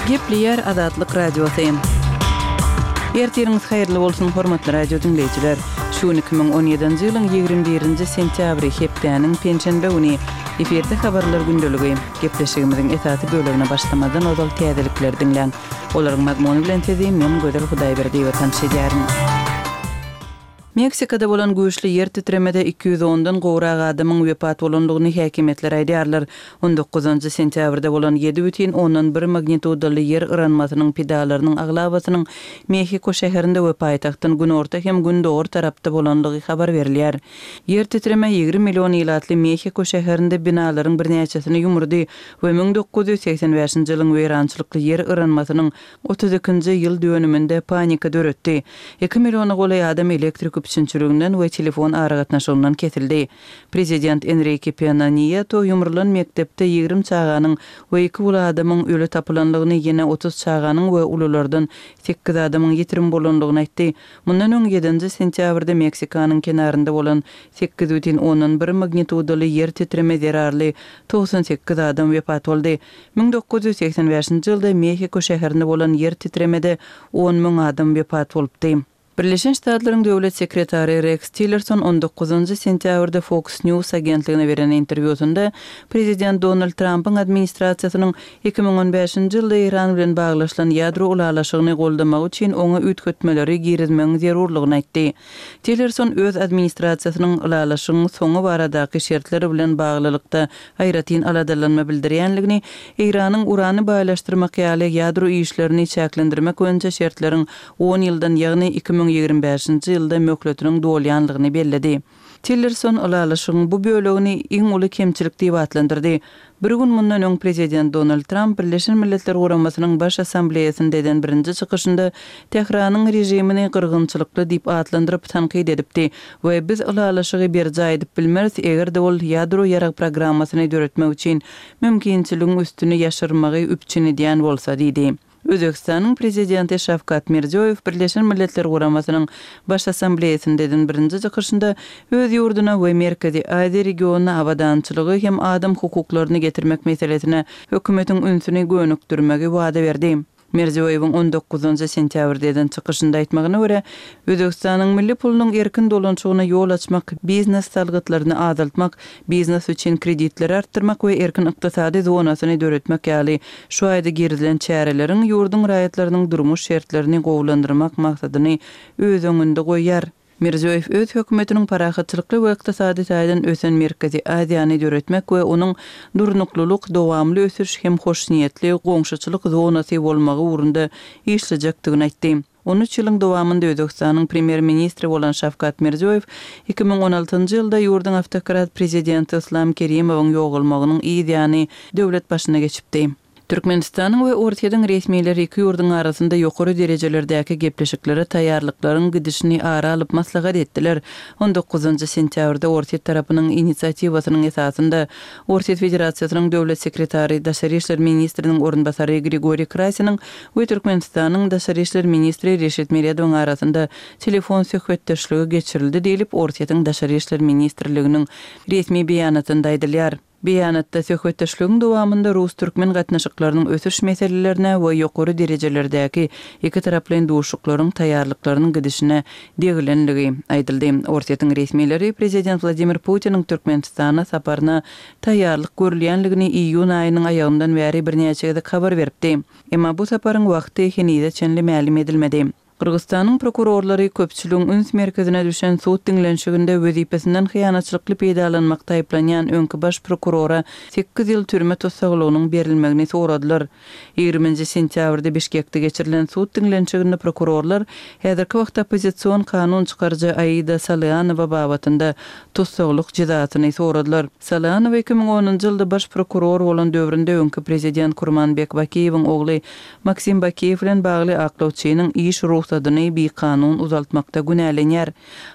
Gepleýär Azatlyk Radiosy. Ertiriňiz haýyrly bolsun, hormatly radio diňleýjiler! Şu gün 2017-nji ýylyň 21-nji sentýabry, hepdäniň penşenbe güni. Efirde habarlar gündeligi. Gepleşigimiziň esasy bölegine başlamazdan ozal täzelikleri diňläň. Olaryň mazmuny bilen sizi men Gözel Hudaýberdiýewa tanyş edýärin. Meksikada bolan güýçli ýer titremede 210 dan gowrak adamyň wepat bolandygyny häkimiýetler aýdýarlar. On dokuzynjy sentýabrda bolan ýedi bütin ondan bir magnitudaly ýer yranmasynyň pidalarynyň aglabasynyň Mehiko şäherinde we paýtagtdan günorta hem gündogar tarapda bolandygy habar berilýär. Ýer titreme 20 million ilatly Mehiko şäherinde binalaryň birnäçesini ýumurdy we 1985-nji ýylyň weýrançylykly ýer yranmasynyň 32-nji ýyl dönüminde panika döretdi. Iki milliona golaý adam elektrik üpjünçiliginden we telefon aragatnaşygyndan kesildi. Prezident Enrike Pena Niýeto ýumrulan mekdepde 20 çaganyň we iki uly adamyň öli tapylandygyny, ýene 30 çaganyň we ululardan sekiz adamyň ýitirim bolandygyny aýtdy. Mundan öň ýedinji sentýabrda Meksikanyň kenarynda bolan 8,1 magnitudaly ýer titreme zerarly 98 adam wepat boldy. 1985-nji ýylda Mehiko şäherinde bolan ýer titremede on müň adam wepat bolupdy. Birleşen Ştatlaryň Döwlet sekretary Reks Tillerson on dokuzynjy sentýabrda Fox News agentligine beren interwýusynda prezident Donald Trampyň administrasiýasynyň 2015-nji ýylda Eýran bilen baglaşylan ýadro ylalaşygyny goldamagy üçin oňa üýtgetmeleri girizmegiň zerurlygyny aýtdy. Tillerson öz administrasiýasynyň ylalaşygyň soňy baradaky şertler bilen baglylykda aýratyn aladalanma bildirýänligini, Eýranyň urany baýlaşdyrmak ýaly ýadro işlerini çäklendirmek boýunça şertleriň on ýyldan, ýagny 2025-nji ýylda möhletiniň dolýanlygyny belledi. Tillerson ylalaşygyň bu bölegini iň uly kemçilik diýip atlandyrdy. Bir gün mundan öň prezident Donald Tramp Birleşen Milletler Guramasynyň Baş Assambleýasynda eden birinji çykyşynda Tähranyň režimini gyrgynçylykly diýip atlandyryp tankyt edipdi we biz ylalaşygy berjaý edip bilmeris eger-de ol ýadro ýarag programmasyny döretmek üçin mümkinçiligiň üstüni ýaşyrmagy üpjün edýän bolsa diýdi. Özbegistanyň Prezidenti Şawkat Mirziýoýew Birleşen Milletler Guramasynyň Baş Assambleýasynda eden birinji çykyşynda öz ýurduna we Merkezi Aziýa regionyna abadançylygy hem adam hukuklaryny getirmek meselesine hökümetiň ünsüni gönükdirmegi wada berdi. Mirziýoýewiň on dokuzynjy sentýabrda eden çykyşynda aýtmagyna görä, Özbegistanyň milli pulunyň erkin dolanyşygyna ýol açmak, biznes salgytlaryny azaltmak, biznes üçin kreditleri artdyrmak we erkin ykdysady zonasyny döretmek ýaly şu aýda girizilen çäreleriň ýurduň raýatlarynyň durmuş şertlerini gowulandyrmak maksadyny öz öňünde goýýar. Mirziýoýew öz hökümetiniň parahatçylykly we ykdysady taýdan ösen Merkezi Aziýany döretmek we onuň durnuklylyk, dowamly ösüş hem hoşniýetli goňşuçylyk zonasy bolmagy ugrunda işlejekdigini aýtdy. On üç ýylyň dowamynda Özbegistanyň premýer-ministri bolan Şawkat Mirziýoýew 2016-njy ýylda ýurduň awtokrat prezidenti Yslam Kerimowyň ýogalmagynyň yz ýany döwlet başyna geçipdi. Türkmenistanyň we Orsýetiň resmileri iki ýurduň arasynda ýokary derejelerdäki gepleşiklere taýýarlyklaryň gidişini ara alyp maslahat etdiler. On dokuzynjy sentýabrda Orsýet tarapynyň inisiatiwasynyň esasynda Orsýet Federasiýasynyň Döwlet sekretary, daşary işler ministriniň orunbasary Grigoriý Krasiniň we Türkmenistanyň daşary işler ministri Reşit Meredowyň arasynda telefon söhbetdeşligi geçirildi diýlip, Orsýetiň Daşary işler ministrliginiň resmi beýanatynda aýdylýar. Beýanatda söhbetdeşligiň dowamynda rus-türkmen gatnaşyklarynyň ösüş meselelerine we ýokary derejelerdäki ikitaraplaýyn duşuşyklaryň taýýarlyklarynyň gidişine degilenligi aýdyldy. Orsýetiň resmileri prezident Wladimir Putiniň Türkmenistana saparyna taýýarlyk görülýänligini iýun aýynyň aýagyndan bäri birnäçe gezek habar beripdi. Emma bu saparyň wagty henize çenli mälim edilmedi. Gyrgyzystanyň prokurorlary köpçüligiň üns merkezine düşen sud diňlenişiginde wezipesinden hyýanatçylykly peýdalanmakda aýyplanýan öňki baş prokurora sekiz ýyl türme tussaglygynyň berilmegini soradylar. Ýigriminji sentýabrda Bişkekde geçirilen sud diňlenişiginde prokurorlar häzirki wagtda oppozision kanun çykaryjy Aida Salyanowa babatynda tussaglyk jezasyny soradylar. Salyanowa 2010-njy ýylda baş prokuror bolan döwründe öňki prezident Kurmanbek Bakiýewiň ogly Maksim Bakiýew bilen bagly aklawçynyň iş rugsadyny bikanun uzaltmakda günälenýär.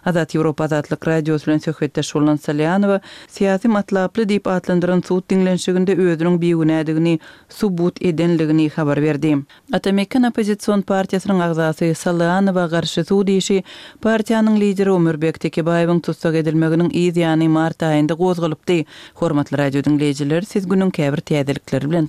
Azat Ýewropa Azatlyk Radiosy bilen söhbetdeş bolan Salyanowa syýasy matlaply diýip atlandyran sud diňlenişiginde özüniň bigünädigini subut edenligini habar berdi. Ata-Mekan oppozision partiýasynyň agzasy Salyanowa garşy sud işi partiýanyň lideri Omurbek Tekebaýewiň tussag edilmeginiň yz ýany mart aýynda gozgalypdy. Hormatly radio diňleýjiler, siz günüň käbir täzelikleri bilen.